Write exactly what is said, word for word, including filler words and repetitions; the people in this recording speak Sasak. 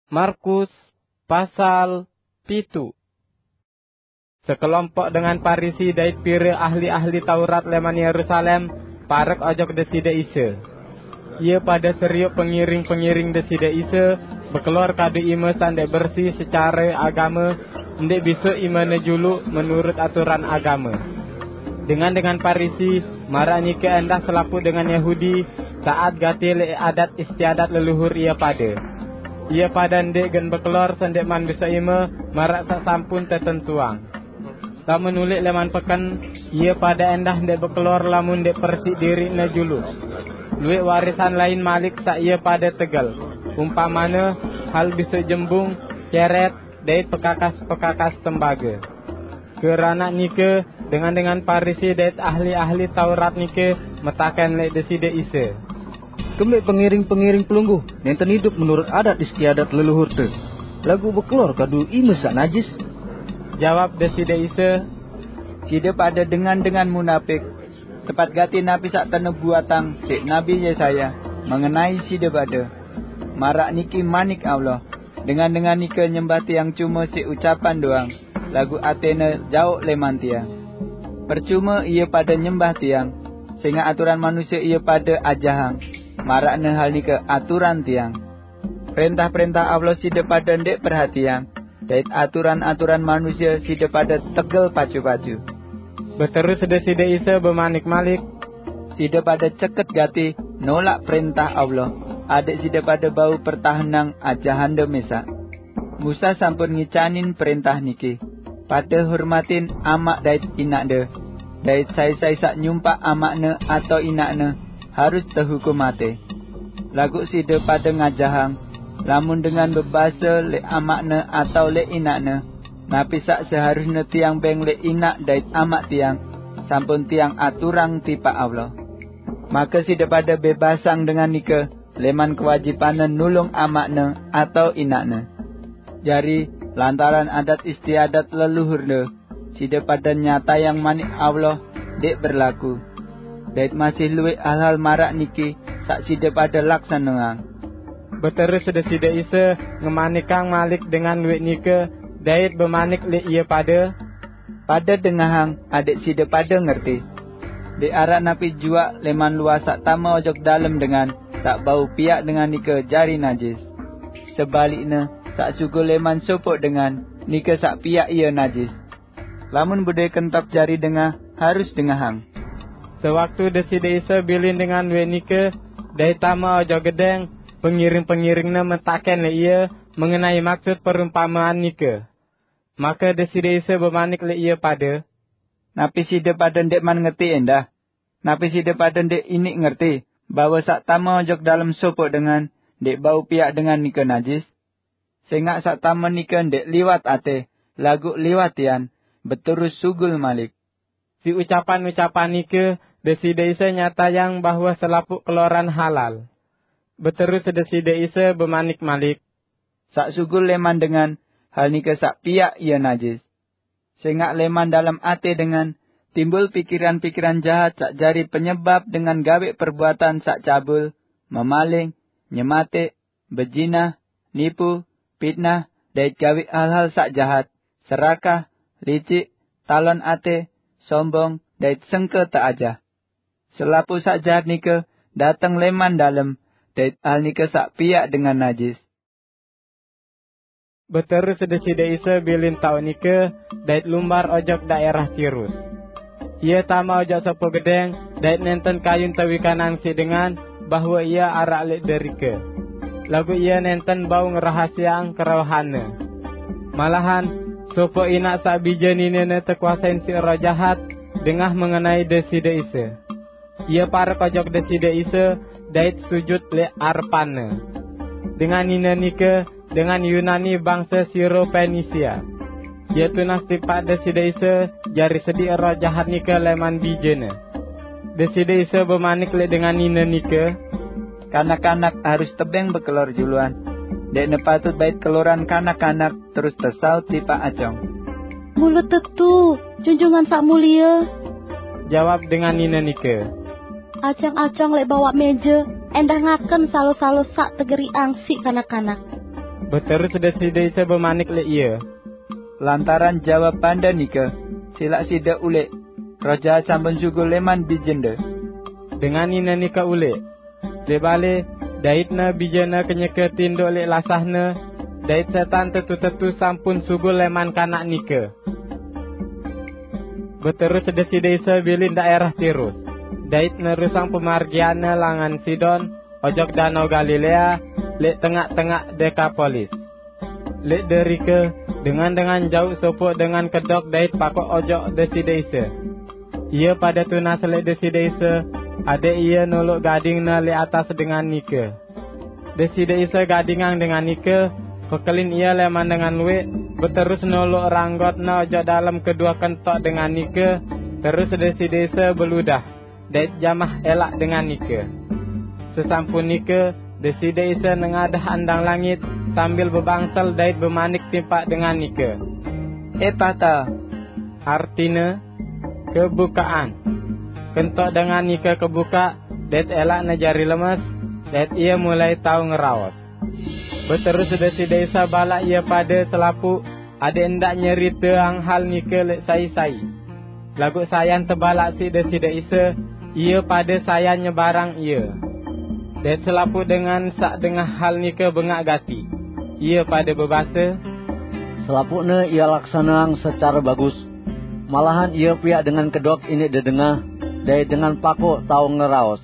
Markus pasal pitu. Sekelompok dengan Parisi dait pire ahli-ahli Taurat leman Yerusalem parek ojok Deside Isa. Ia pada seriuk pengiring-pengiring Deside Isa bekelor kadu ime saq ndeq bersih secare agame, ndeq bisoq imene juluq menurut aturan agame. Dengan-dengan Parisi maraq nike endah selapuq dengan Yahudi taat gati leq adat istiadat leluhur ie pade. Ie pade ndeq gen bekelor sendeqman bisoq ime maraq saq sampun tetentuang. Lamun uleq leman peken, ie pade endah ndeq bekelor lamun ndeq persiq diriqne juluq. Lueq warisan lain malik saq ie pade tegel, umpamane hal bisoq jembung, ceret, dait pekakas-pekakas tembage. Keranaq nike, dengan-dengan Parisi dait ahli-ahli Taurat nike metaken leq Deside Isa, "Kembeq pengiring-pengiring Pelungguh nenten idup menurut adat istiadat leluhurte, laguq bekelor kadu ime saq najis?" Jawab Deside Isa, "Side pade dengan-dengan munapik! Tepat gati napi saq tenebuatang siq Nabi Yesaya mengenai side pade. Maraq niki manik Allah, 'Dengan-dengan nike nyembah Tiang cume siq ucapan doang, laguq atene jaoq leman Tiang. Percume ie pade nyembah Tiang, sengaq aturan manusie ie pade ajahang, maraqne hal nike aturan Tiang. Prentah-prentah Allah side pade ndeq perhatiang, dait aturan-aturan manusie side pade tegel pacu-pacu.'" Beterus Deside Isa bemanik malik, "Side pade ceket gati nolaq prentah Allah, adeq side pade bau pertahenang ajahande mesaq. Musa sampun ngicanin prentah niki, 'Pade hormatin amaq dait inaqde,' dait 'Sai-sai saq nyumpaq amaqne atao inaqne harus tehukum mate.' Laguq side pade ngajahang, lamun dengan bebase leq amaqne atao leq inaqne, 'Napi saq seharusne tiang beng leq inaq dait amaq tiang, sampun tiang aturang tipaq Allah.' Make side pade bebasang dengan nike leman kewajibanne nulung amaqne atao inaqne. Jari, lantaran adat istiadat leluhurne, side pade nyatayang manik Allah ndeq berlaku. Dait masih lueq hal-hal maraq niki saq side pade laksaneang." Beterus Deside Isa ngemanikang malik dengan lueq nike, dait bemanik leq ie pade, "Pade dengahang adeq side pade ngerti. Ndeq araq napi juaq leman luah saq tame ojok dalem dengan saq bau piaq dengan nike jari najis. Sebalikne, saq sugul leman sopoq dengan, nike saq piaq ie najis. Lamun bedoe kentop jari dengah, harus dengahang." Sewaktu Deside Isa bilin dengan lueq nike dait tame ojok gedeng, pengiring-pengiring-Ne metaken leq Ie mengenai maksud perumpamean nike. Make Deside Isa bemanik leq ie pade, "Napi side pade ndeqman ngerti endah? Napi side pade ndeq iniq ngerti bahwe saq tame ojok dalem sopoq dengan ndeq bau piaq dengan nike najis? Sengaq saq tame nike ndeq liwat ate, laguq liwat tian, beterus sugul malik." Siq ucapan-ucapan nike Deside Isa nyatayang bahwe selapuq keloran halal. Beterus Deside Isa bemanik malik, "Saq sugul leman dengan, hal nike saq piaq ie najis. Sengaq leman dalem ate dengan timbul pikiran-pikiran jahat saq jari penyebap dengan gaweq perbuatan saq cabul, memaling, nyemateq, bejinah, nipu, pitnah, dait gaweq hal-hal saq jahat, serakah, licik, talon ate, sombong, dait sengke teajah. Selapuq saq jahat nike dateng leman dalem, dait hal nike saq piaq dengan najis." Beterus Deside Isa bilin taoq nike dait lumbar ojok daerah Tirus. Ie tame ojok sopoq gedeng dait nenten kayun tewikanang siq dengan bahwe Ie araq leq derike. Laguq ie nenten bau ngerahasiaang kerohanne. Malahan, sopoq inaq saq bije ninene tekuasein siq roh jahat dengah mengenai Deside Isa. Ie parek ojok Deside Isa dait sujut leq arepan-Ne. Dengan nine nike dengan Yunani bangse Siro-Penisia. Ie tunas tipaq Deside Isa jari sediq roh jahat nike leman bijene. Deside Isa bemanik leq dengan nine nike, "Kanak-kanak harus tebeng bekelor juluan. Ndeqne patut bait keloran kanak-kanak terus tesaut tipaq acong." "Mule tetu, Junjungan Saq Mulie," jawab dengan nine nike. "Acong-acong leq bawaq meje endah ngaken salo-salo saq tegeriqang siq kanak-kanak." Beterus Deside Isa bemanik lek ie, "Lantaran jawab pande nike, silak side ulek. Roh Jahat sampun sugul leman bijende." Dengan ine nike ulek. Debale, daitne bijene kenyeke tinduk lek lasahne, dait setan tetu-tetu sampun sugul leman kanak nike. Beterus Deside Isa bilin daerah Tirus, dait nerusang pemargianne langan Sidon, ojok Danau Galilea, lek tengak-tengak Dekapolis. Lek derike, dengan-dengan jauh sopuk dengan kedok dait pakok ojok Deside Isa. Ie pade tunas lek Deside Isa, adek ie nolok gadingne lek atas dengan nike. Deside Isa gadingang dengan nike, pekelin ie leman dengan luek, beterus nolok ranggotne ojok dalem kedua kentok dengan nike, terus Deside Isa beludah, dait jamah elak dengan nike. Sesampun nike, Deside Isa nengadah andang langit sambil bebangsel dait bemanik timpak dengan nike, "Epata," artine, "Kebukaan." Kentok dengan nike kebukak, dait elakne jari lemes, dait ie mulai tau ngeraos. Beterus Deside Isa balak ie pade selapuq, adek ndak nyeriteang hal nike lek sai-sai. Laguq sayan tebalak siq Deside Isa, ie pade sayan nyebarang ie. Dait selapuq dengan saq dengah hal nike bengaq gati. Ie pade bebase, "Selapuqne ie laksaneang secare bagus. Malahan ie piaq dengan kedok indik dedengah, dait dengan pakok tau ngeraos."